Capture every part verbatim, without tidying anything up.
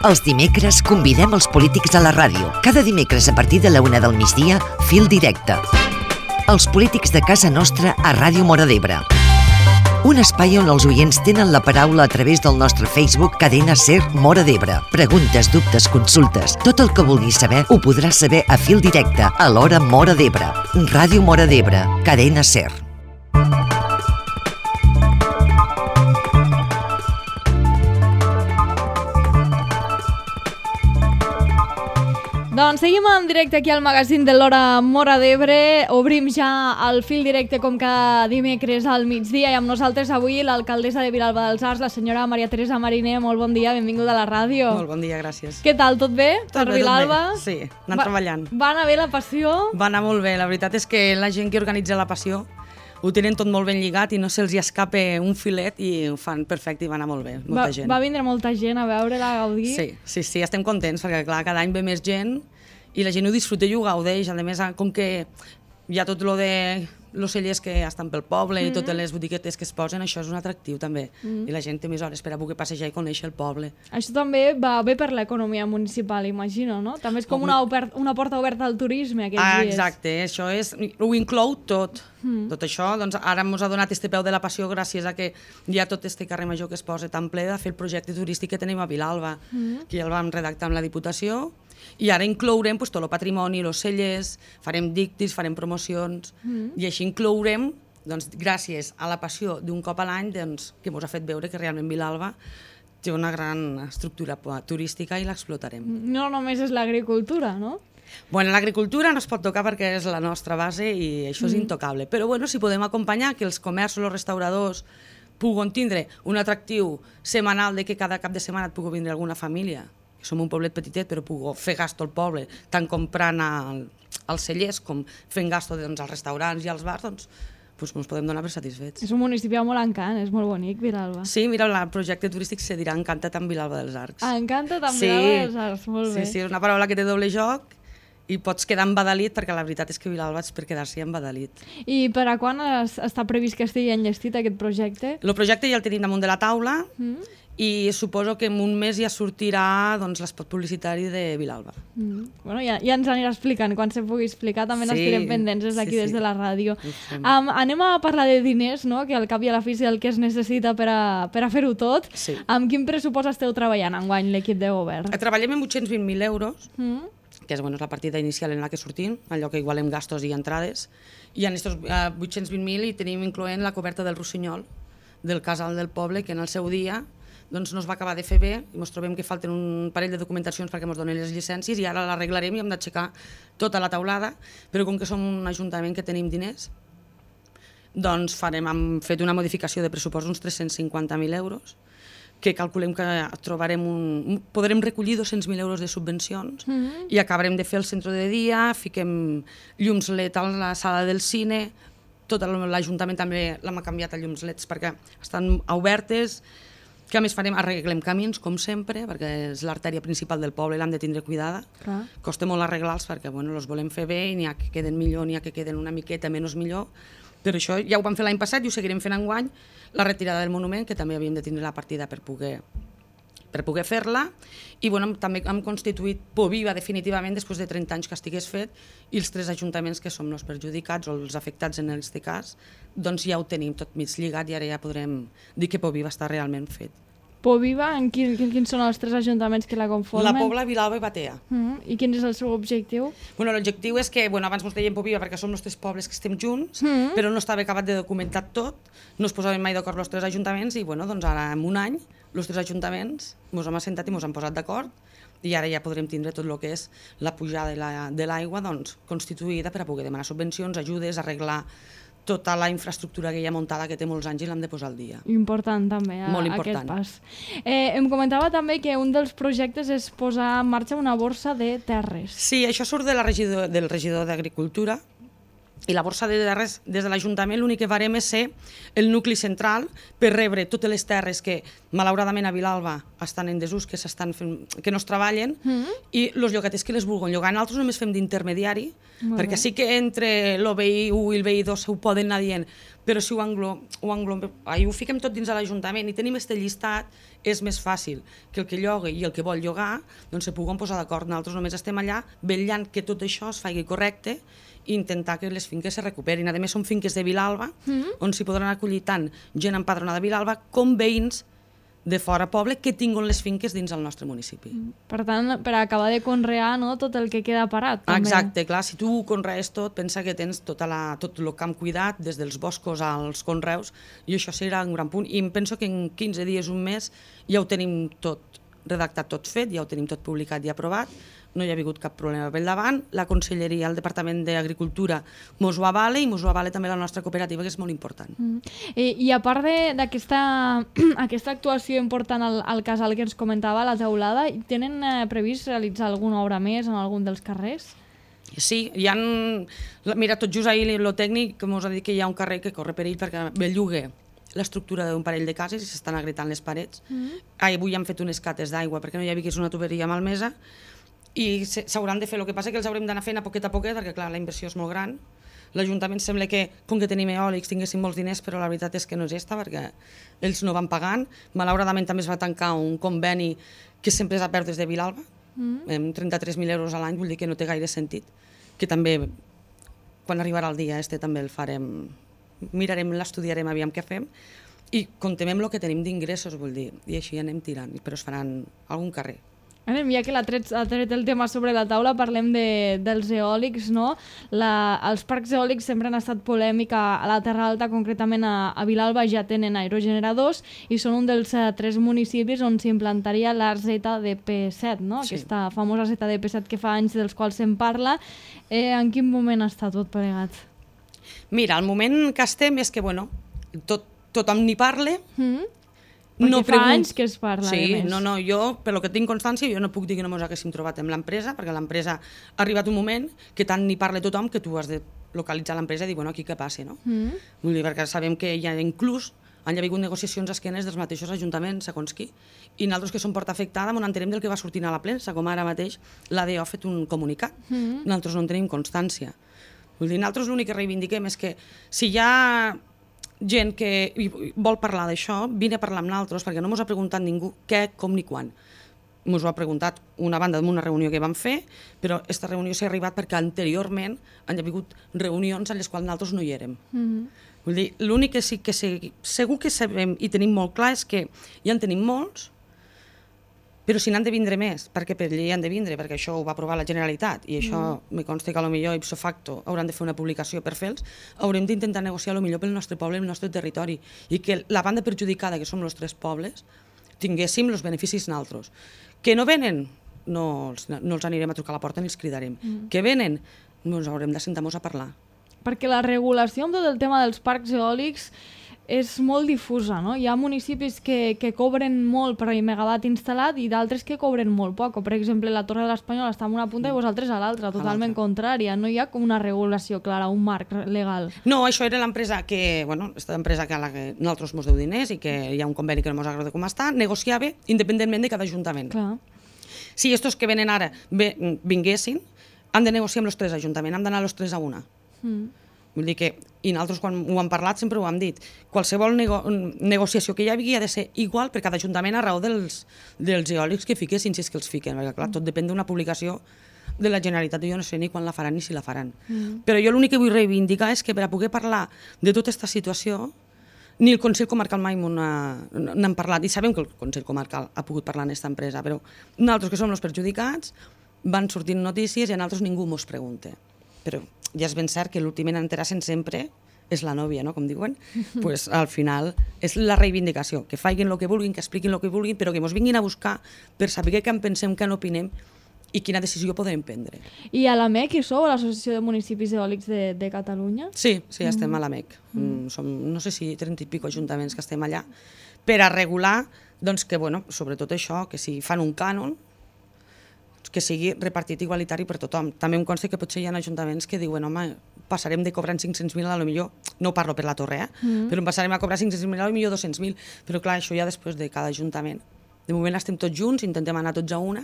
Els dimecres convidem els polítics a la ràdio. Cada dimecres a partir de la una del migdia, Fil Directe. Els polítics de casa nostra a Ràdio Móra d'Ebre. Un espai on els oients tenen la paraula a través del nostre Facebook Cadena Ser Móra d'Ebre. Preguntes, dubtes, consultes, tot el que vulguis saber ho podràs saber a Fil Directe a l'hora Móra d'Ebre. Ràdio Móra d'Ebre, Cadena Ser. Doncs seguim en directe aquí al magazín de l'hora Móra d'Ebre. Obrim ja el fil directe com cada dimecres al migdia i amb nosaltres avui l'alcaldessa de Vilalba dels Arcs, la senyora Maria Teresa Mariner. Molt bon dia, benvinguda a la ràdio. Molt bon dia, gràcies. Què tal, tot bé? Tot per bé, Vilalba? tot bé. Sí, anant Va, treballant. Va anar bé la passió? Va anar molt bé, la veritat és que la gent que organitza la passió ho tenen tot molt ben lligat i no se'ls escape un filet i ho fan perfecte i va anar molt bé, molta va, gent. Va vindre molta gent a veure-la, a gaudir? Sí, sí, sí, estem contents perquè clar, cada any ve més gent i la gent ho disfruta i ho gaudeix. A més, com que hi ha tot lo de los cellers que estan pel poble mm-hmm. i totes les botiquetes que es posen, això és un atractiu també. Mm-hmm. I la gent té més hores per a poder passejar i conèixer el poble. Això també va bé per l'economia municipal, imagino, no? També és com una, obert, una porta oberta al turisme aquests ah, dies. Exacte, això és, ho inclou tot. Mm. Tot això, doncs ara ens ha donat este peu de la passió gràcies a que hi ha tot este carrer major que es posa tan ple de fer el projecte turístic que tenim a Vilalba, mm. que ja el vam redactar amb la Diputació. I ara inclourem pues, tot el patrimoni, els cellers, farem dictis, farem promocions, mm. i així inclourem, doncs, gràcies a la passió d'un cop a l'any, doncs, que ens ha fet veure que realment Vilalba té una gran estructura turística i l'explotarem. No només és l'agricultura, no? Bueno, l'agricultura no es pot tocar perquè és la nostra base i això és mm. intocable, però bueno, si podem acompanyar que els comerços, els restauradors puguen tindre un atractiu setmanal de que cada cap de setmana et pugui vindre alguna família, que som un poblet petitet però puc fer gasto al poble, tant comprant al, als cellers com fent gasto doncs, als restaurants i als bars, doncs, doncs ens podem donar per satisfets. És un municipi amb molt encant, és molt bonic, Vilalba. Sí, mira, el projecte turístic se dirà Encanta't amb Vilalba dels Arcs. Ah, Encanta't amb sí, Vilalba dels Arcs, molt bé. Sí, sí, és una paraula que té doble joc i pots quedar embadalit perquè la veritat és que Vilalba és per quedar-s'hi embadalit. I per a quan es, està previst que estigui enllestit aquest projecte? El projecte ja el tenim damunt de la taula mm. i suposo que en un mes ja sortirà doncs, l'espot publicitari de Vilalba. Mm. Bueno, ja, ja ens anirà explicant, quan se pugui explicar també sí, n'estirem pendents des d'aquí, sí, sí. des de la ràdio. Um, anem a parlar de diners, no? Que al cap i a la fi és el que es necessita per a, per a fer-ho tot. Sí. Amb quin pressupost esteu treballant enguany l'equip de govern? Treballem amb vuit-cents vint mil euros, mm. que és, bueno, és la partida inicial en la que sortim, allò que igualem gastos i entrades, i en aquests uh, vuit-cents vint mil hi tenim incloent la coberta del Rossinyol, del casal del poble, que en el seu dia doncs no es va acabar de fer bé i ens trobem que falten un parell de documentacions perquè ens donen les llicències i ara l'arreglarem i hem d'aixecar tota la taulada, però com que som un ajuntament que tenim diners, doncs farem, hem fet una modificació de pressupost d'uns tres-cents cinquanta mil euros, que calculem que trobarem un, podrem recollir dos-cents mil euros de subvencions mm-hmm. i acabarem de fer el centre de dia, fiquem llums L E D a la sala del cine, tot l'Ajuntament també l'hem canviat a llums L E Ds perquè estan obertes, que a més farem, arreglem camins, com sempre, perquè és l'artèria principal del poble i l'hem de tindre cuidada. Clar. Costa molt arreglar-los perquè bueno, els volem fer bé i n'hi ha que queden millor, n'hi ha que queden una miqueta menys millor. Però això ja ho vam fer l'any passat i ho seguirem fent enguany, la retirada del monument, que també havíem de tindre la partida per poder, per poder fer-la. I bueno, també hem constituït Poviva definitivament després de trenta anys que estigués fet i els tres ajuntaments que som els perjudicats o els afectats en aquest cas, doncs ja ho tenim tot mig lligat i ara ja podrem dir que Poviva està realment fet. Poviva, en quin, quins són els tres ajuntaments que la conformen? La Pobla, Vilalba i Batea. Uh-huh. I quin és el seu objectiu? Bueno, l'objectiu és que, bueno, abans ens deien Poviva perquè som els tres pobles que estem junts, uh-huh. però no estava acabat de documentar tot, no es posaven mai d'acord els tres ajuntaments i bueno, doncs ara en un any els tres ajuntaments ens hem assentat i ens hem posat d'acord i ara ja podrem tindre tot el que és la pujada de l'aigua doncs, constituïda per a poder demanar subvencions, ajudes, arreglar tota la infraestructura que hi ha muntada que té molts anys i l'hem de posar al dia. Important també, a, Molt important. aquest pas. Eh, em comentava també que un dels projectes és posar en marxa una borsa de terres. Sí, això surt de la regidor, del regidor d'Agricultura, i la borsa de terres des de l'Ajuntament l'únic que farem és ser el nucli central per rebre totes les terres que malauradament a Vilalba estan en desús, que, s'estan fent, que no es treballen mm-hmm. i els llogaters que les vulguin llogar. Nosaltres només fem d'intermediari perquè sí que entre el B I u i el B I dos ho poden anar dient però si ho, englo, ho, englo, ai, ho fiquem tot dins de l'Ajuntament i tenim este llistat, és més fàcil que el que lloga i el que vol llogar doncs se puguen posar d'acord. Nosaltres només estem allà vetllant que tot això es faci correcte i intentar que les finques se recuperin. A més, són finques de Vilalba, mm-hmm. on s'hi podran acollir tant gent empadronada de Vilalba com veïns de fora poble que tinguin les finques dins el nostre municipi. Per tant, per acabar de conrear, no, tot el que queda parat. També. Exacte, clar, si tu conrees tot, pensa que tens tota la, tot el camp cuidat, des dels boscos als conreus, i això serà un gran punt. I em penso que en quinze dies, un mes, ja ho tenim tot redactat, tot fet, ja ho tenim tot publicat i aprovat, no hi ha hagut cap problema pel davant, la Conselleria, el Departament d'Agricultura mos ho avala i mos ho avala també la nostra cooperativa, que és molt important. Mm. I, I a part d'aquesta aquesta actuació important al, al casal que ens comentava, la teulada, tenen eh, previst realitzar alguna obra més en algun dels carrers? Sí, hi ha... Mira, tot just ahir el tècnic que mos ha dit que hi ha un carrer que corre perill perquè belluga l'estructura d'un parell de cases i s'estan agritant les parets. Mm. Ah, avui han fet unes cates d'aigua perquè no hi havia una tuberia malmesa i s'hauran de fer. El que passa que els haurem d'anar fent a poquet a poquet perquè, clar, la inversió és molt gran. L'Ajuntament sembla que, com que tenim eòlics, tinguessin molts diners, però la veritat és que no és esta, perquè ells no van pagant. Malauradament també es va tancar un conveni que sempre s'ha perdut des de Vilalba, mm. amb trenta-tres mil euros a l'any, vull dir que no té gaire sentit, que també, quan arribarà el dia este, també el farem, mirarem, l'estudiarem, aviam què fem, i comptem amb el que tenim d'ingressos, vull dir, i així anem tirant, però es faran algun carrer. Anem, ja que l'ha tret, ha tret el tema sobre la taula, parlem de, dels eòlics, no? La, els parcs eòlics sempre han estat polèmica a la Terra Alta, concretament a, a Vilalba ja tenen aerogeneradors i són un dels uh, tres municipis on s'implantaria la Z D P set, no? Sí. Aquesta famosa Z D P set que fa anys dels quals se'n parla. Eh, en quin moment està tot plegat? Mira, el moment que estem és que, bueno, tot, tothom n'hi parla, mm-hmm. Perquè no fa pregunt... anys que es parla, sí, de més. No, no, jo, per lo que tinc constància, jo no puc dir que no ens haguéssim trobat amb l'empresa, perquè l'empresa ha arribat un moment que tant n'hi parla tothom que tu has de localitzar l'empresa i dir, bueno, aquí què passa, no? Mm. Vull dir, perquè sabem que hi ha inclús, han hi ha hagut negociacions a esquenes dels mateixos ajuntaments, segons qui, i nosaltres que som porta afectada, on entenem del que va sortir a la premsa, com ara mateix l'A D O ha fet un comunicat. Mm. Nosaltres no en tenim constància. Vull dir, nosaltres l'únic que reivindiquem és que si hi ha gent que vol parlar d'això, vine a parlar amb nosaltres, perquè no ens ha preguntat ningú què, com ni quan. Ens ho ha preguntat una banda d'una reunió que vam fer, però aquesta reunió s'ha arribat perquè anteriorment han hagut reunions en les quals nosaltres no hi érem. Mm-hmm. Vull dir, l'únic que sí que sé, segur que sabem i tenim molt clar és que ja en tenim molts, però si n'han de vindre més, perquè per llei han de vindre, perquè això ho va aprovar la Generalitat, i això mm. me consta que potser ipso facto hauran de fer una publicació per fer-los, haurem d'intentar negociar el millor pel nostre poble, el nostre territori, i que la banda perjudicada, que som els tres pobles, tinguéssim els beneficis nosaltres. Que no venen, no els, no els anirem a trucar a la porta ni els cridarem. Mm. Que venen, ens haurem de sentar-nos a parlar. Perquè la regulació amb tot el tema dels parcs eòlics és molt difusa, no? Hi ha municipis que, que cobren molt per megawatt instal·lat i d'altres que cobren molt poc. Per exemple, la Torre de l'Espanyol està en una punta i vosaltres a l'altra, totalment contrària. No hi ha com una regulació clara, un marc legal. No, això era l'empresa que, bueno, aquesta empresa que a la que nosaltres mos deu diners i que hi ha un conveni que no mos agrada com està, negociava independentment de cada ajuntament. Clar. Si estos que venen ara vinguessin, han de negociar amb els tres ajuntaments, han d'anar els tres a una. Mm. Vull dir que, i nosaltres quan ho hem parlat sempre ho hem dit, qualsevol nego negociació que hi havia ha de ser igual per cada ajuntament a raó dels, dels eòlics que fiquessin, si és que els fiquen, perquè clar, tot depèn d'una publicació de la Generalitat, jo no sé ni quan la faran ni si la faran. Mm. Però jo l'únic que vull reivindicar és que per a poder parlar de tota aquesta situació, ni el Consell Comarcal mai n'han parlat, i sabem que el Consell Comarcal ha pogut parlar en aquesta empresa, però nosaltres que som els perjudicats, van sortint notícies i a nosaltres ningú mos pregunta. Però ja és ben cert que l'últim en enterar-se'n sempre és la nòvia, no? Com diuen. Pues, al final és la reivindicació, que facin el que vulguin, que expliquin el que vulguin, però que ens vinguin a buscar per saber què en pensem, què en opinem i quina decisió podem prendre. I a l'A M E C hi sou, a l'Associació de Municipis Eòlics de, de Catalunya? Sí, sí, estem mm. a l'A M E C. Mm. Som, no sé si trenta i pico ajuntaments que estem allà, per a regular, doncs que, bueno, sobretot això, que si fan un cànon, que sigui repartit igualitari per tothom. També em consta que potser hi ha ajuntaments que diuen, home, passarem de cobrar cinc-cents mil a lo millor, no parlo per la torre, eh? Mm. però passarem a cobrar cinc-cents mil a lo millor dos-cents mil, però clar, això ja després de cada ajuntament. De moment estem tots junts, intentem anar tots a una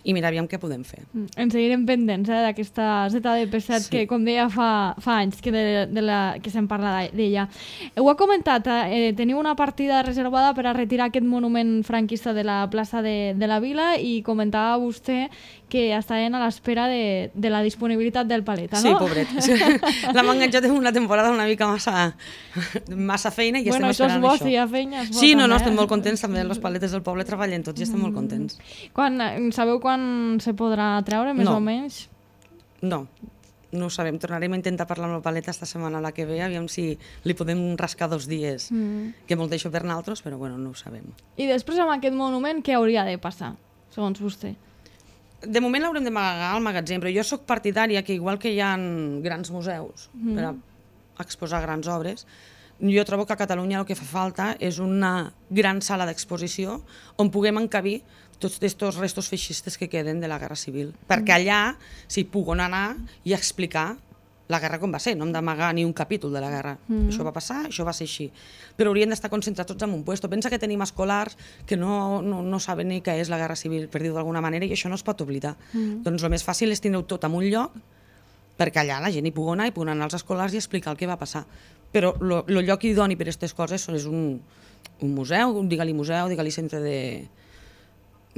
i mira, aviam què podem fer. Ens seguirem pendents eh, d'aquesta Z D P set sí. que, com deia, fa, fa anys que, de, de la, que se'n parla d'ella. Ho ha comentat, eh, teniu una partida reservada per a retirar aquest monument franquista de la plaça de, de la Vila i comentava vostè que estaven a l'espera de, de la disponibilitat del paleta, no? Sí, pobret. L'hem enganxat en una temporada una mica massa, massa feina i bueno, estem esperant això. Bueno, això és bo, això. si hi ha feina, és bo. Sí, no, també, no, estem eh? molt contents, també els paletes del poble treballen tots i estem mm. molt contents. Quan, sabeu quan se podrà treure, més no. o menys? No, no ho sabem. Tornarem a intentar parlar amb el paleta esta setmana la que ve, aviam si li podem rascar dos dies, mm. que molt deixo per nosaltres, però bueno, no ho sabem. I després amb aquest monument, què hauria de passar, segons vostè? De moment l'haurem d'amagar al magatzem, però jo sóc partidària que igual que hi ha grans museus mm. per a exposar grans obres, jo trobo que a Catalunya el que fa falta és una gran sala d'exposició on puguem encabir tots aquests restos feixistes que queden de la Guerra Civil. Mm. Perquè allà s'hi puguen anar i explicar la guerra com va ser, no hem d'amagar ni un capítol de la guerra. Mm. Això va passar, això va ser així. Però haurien d'estar concentrats tots en un puesto. Pensa que tenim escolars que no, no, no saben ni què és la Guerra Civil, per dir-ho d'alguna manera, i això no es pot oblidar. Mm. Doncs el més fàcil és tindre-ho tot en un lloc perquè allà la gent hi pugui anar, hi pugui anar als escolars i explicar el que va passar. Però el lloc idoni per a aquestes coses és un, un museu, digue-li museu, digue-li centre de...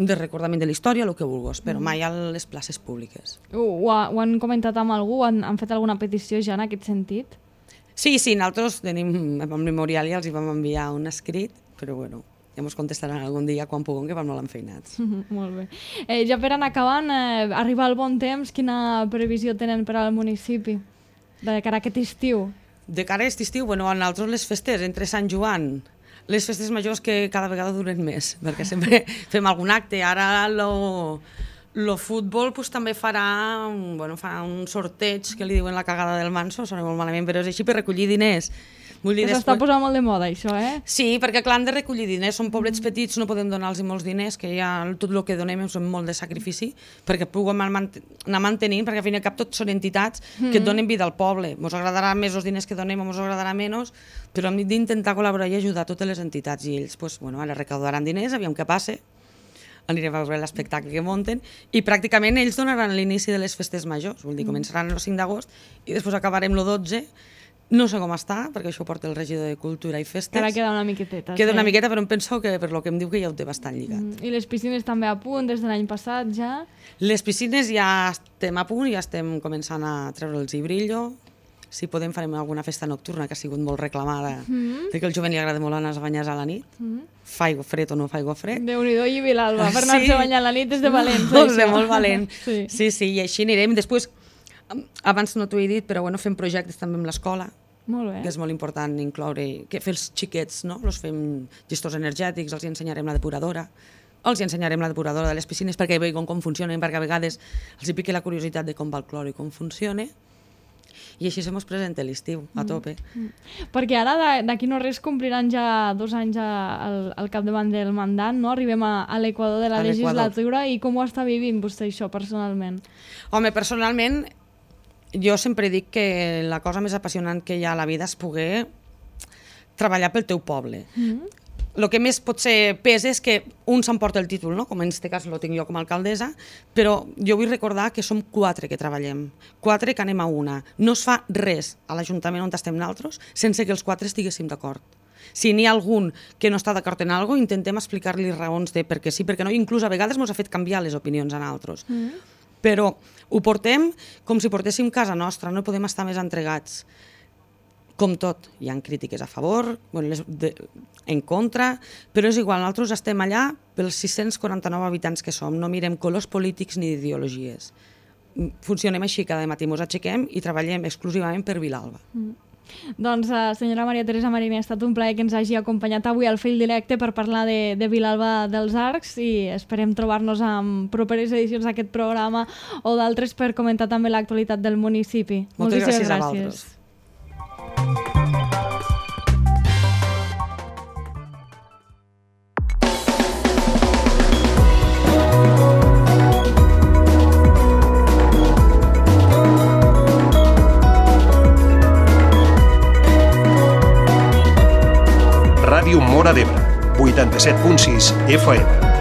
de recordament de la història, el que vulguis, però mai a les places públiques. Ho, ho, ho han comentat amb algú? Han, han fet alguna petició ja en aquest sentit? Sí, sí, nosaltres tenim, amb el memorial ja els hi vam enviar un escrit, però bueno, ja ens contestaran algun dia quan puguem, que vam molt enfeinats. Molt bé. Eh, ja per anar acabant, eh, arriba el bon temps, quina previsió tenen per al municipi de cara a aquest estiu? De cara a aquest estiu, bueno, a nosaltres les festes entre Sant Joan, les festes majors que cada vegada duren més, perquè sempre fem algun acte. Ara el futbol pues, també farà, bueno, farà un sorteig que li diuen la cagada del Manso, sona molt malament, però és així per recollir diners. Vull dir, que s'està després... posant molt de moda, això, eh? Sí, perquè clar, han de recollir diners, són poblets petits, no podem donar-los molts diners, que ja tot el que donem és molt de sacrifici, perquè puguem anar mantenint, perquè al fin i al cap tot són entitats que et donen vida al poble. Ens agradarà més els diners que donem o ens agradarà menys, però hem d'intentar col·laborar i ajudar totes les entitats, i ells, pues, bueno, ara recaudaran diners, aviam què passa, anirem a veure l'espectacle que munten, i pràcticament ells donaran l'inici de les festes majors, vull dir, començaran el cinc d'agost i després acabarem el dotze. No sé com està, perquè això ho porta el regidor de Cultura i Festes. Ara queda una miqueteta. Queda sí. una miqueta, però em penso que per lo que em diu que ja ho té bastant lligat. Mm. I les piscines també a punt, des de l'any passat ja? Les piscines ja estem a punt, ja estem començant a treure'ls i brillo. Si podem farem alguna festa nocturna, que ha sigut molt reclamada, mm. perquè al jovent li agrada molt anar a banyar a la nit. Mm. Fa aigua fred o no fa aigua fred. Déu-n'hi-do i Vilalba, per anar-se sí. a banyar a la nit és de valents. Molt bé, molt valent. sí. sí, sí, i així anirem. Després, abans no t'ho he dit, però bueno, fem projectes també amb l'escola, que és molt important incloure, que fer els xiquets, no? Els fem gestors energètics, els ensenyarem la depuradora, els ensenyarem la depuradora de les piscines perquè veuen com funcionen, perquè a vegades els hi pique la curiositat de com va el clor i com funciona, i així se mos presenta l'estiu, a tope. Mm. Perquè ara d'aquí no res compliran ja dos anys al, al capdavant del mandat, no? Arribem a, a l'equador de la legislatura, i com ho està vivint vostè això personalment? Home, personalment, jo sempre dic que la cosa més apassionant que hi ha a la vida és poder treballar pel teu poble. Mm-hmm. El que més potser pesa és que un s'emporta el títol, no? Com en aquest cas el tinc jo com a alcaldessa, però jo vull recordar que som quatre que treballem, quatre que anem a una. No es fa res a l'Ajuntament on estem nosaltres sense que els quatre estiguéssim d'acord. Si n'hi ha algun que no està d'acord en alguna cosa, intentem explicar-li raons de per què sí, perquè no, inclús a vegades ens ha fet canviar les opinions a nosaltres. Mm-hmm. Però ho portem com si portéssim casa nostra, no podem estar més entregats. Com tot, hi ha crítiques a favor, bueno, les de, en contra, però és igual, nosaltres estem allà pels sis-cents quaranta-nou habitants que som, no mirem colors polítics ni ideologies. Funcionem així, cada matí ens aixequem i treballem exclusivament per Vilalba. Mm. Doncs, uh, senyora Maria Teresa Mariner, ha estat un plaer que ens hagi acompanyat avui al Fil Directe per parlar de, de Vilalba dels Arcs, i esperem trobar-nos en properes edicions d'aquest programa o d'altres per comentar també l'actualitat del municipi. Moltes gràcies, gràcies a vosaltres. Ràdio Móra d'Ebre, vuitanta-set punt sis F M.